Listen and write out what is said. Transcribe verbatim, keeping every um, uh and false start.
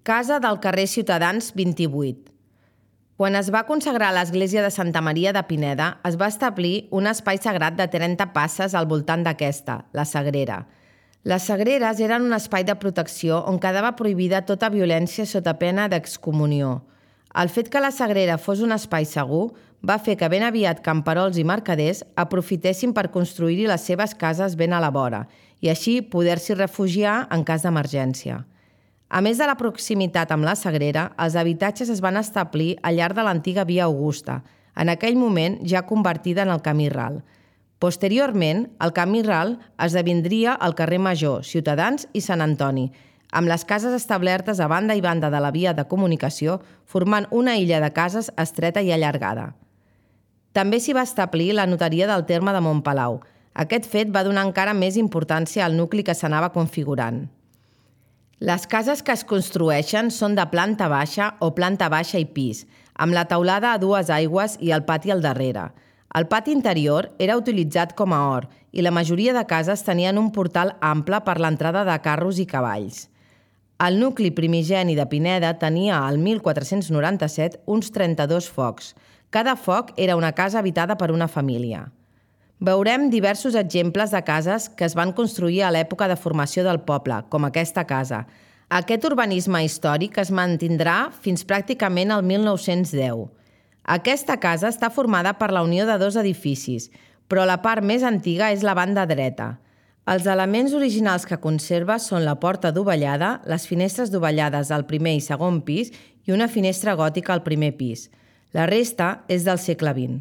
Casa del carrer Ciutadans vint-i-vuit. Quan es va consagrar l'església de Santa Maria de Pineda, es va establir un espai sagrat de trenta passes al voltant d'aquesta, la Sagrera. Les sagreres eren un espai de protecció on quedava prohibida tota violència sota pena d'excomunió. El fet que la Sagrera fos un espai segur va fer que ben aviat camperols i mercaders aprofitessin per construir-hi les seves cases ben a la vora i així poder-s'hi refugiar en cas d'emergència. A més de la proximitat amb la Sagrera, els habitatges es van establir al llarg de l'antiga Via Augusta, en aquell moment ja convertida en el Camí Ral. Posteriorment, el Camí Ral esdevindria el carrer Major, Ciutadans i Sant Antoni, amb les cases establertes a banda i banda de la via de comunicació, formant una illa de cases estreta i allargada. També s'hi va establir la notaria del terme de Montpalau. Aquest fet va donar encara més importància al nucli que s'anava configurant. Les cases que es construeixen són de planta baixa o planta baixa i pis, amb la teulada a dues aigües i el pati al darrere. El pati interior era utilitzat com a hort i la majoria de cases tenien un portal ample per l'entrada de carros i cavalls. El nucli primigeni de Pineda tenia, al mil quatre-cents noranta-set, uns trenta-dos focs. Cada foc era una casa habitada per una família. Veurem diversos exemples de cases que es van construir a l'època de formació del poble, com aquesta casa. Aquest urbanisme històric es mantindrà fins pràcticament al mil nou-cents deu. Aquesta casa està formada per la unió de dos edificis, però la part més antiga és la banda dreta. Els elements originals que conserva són la porta dovellada, les finestres dovellades al primer i segon pis i una finestra gòtica al primer pis. La resta és del segle vint.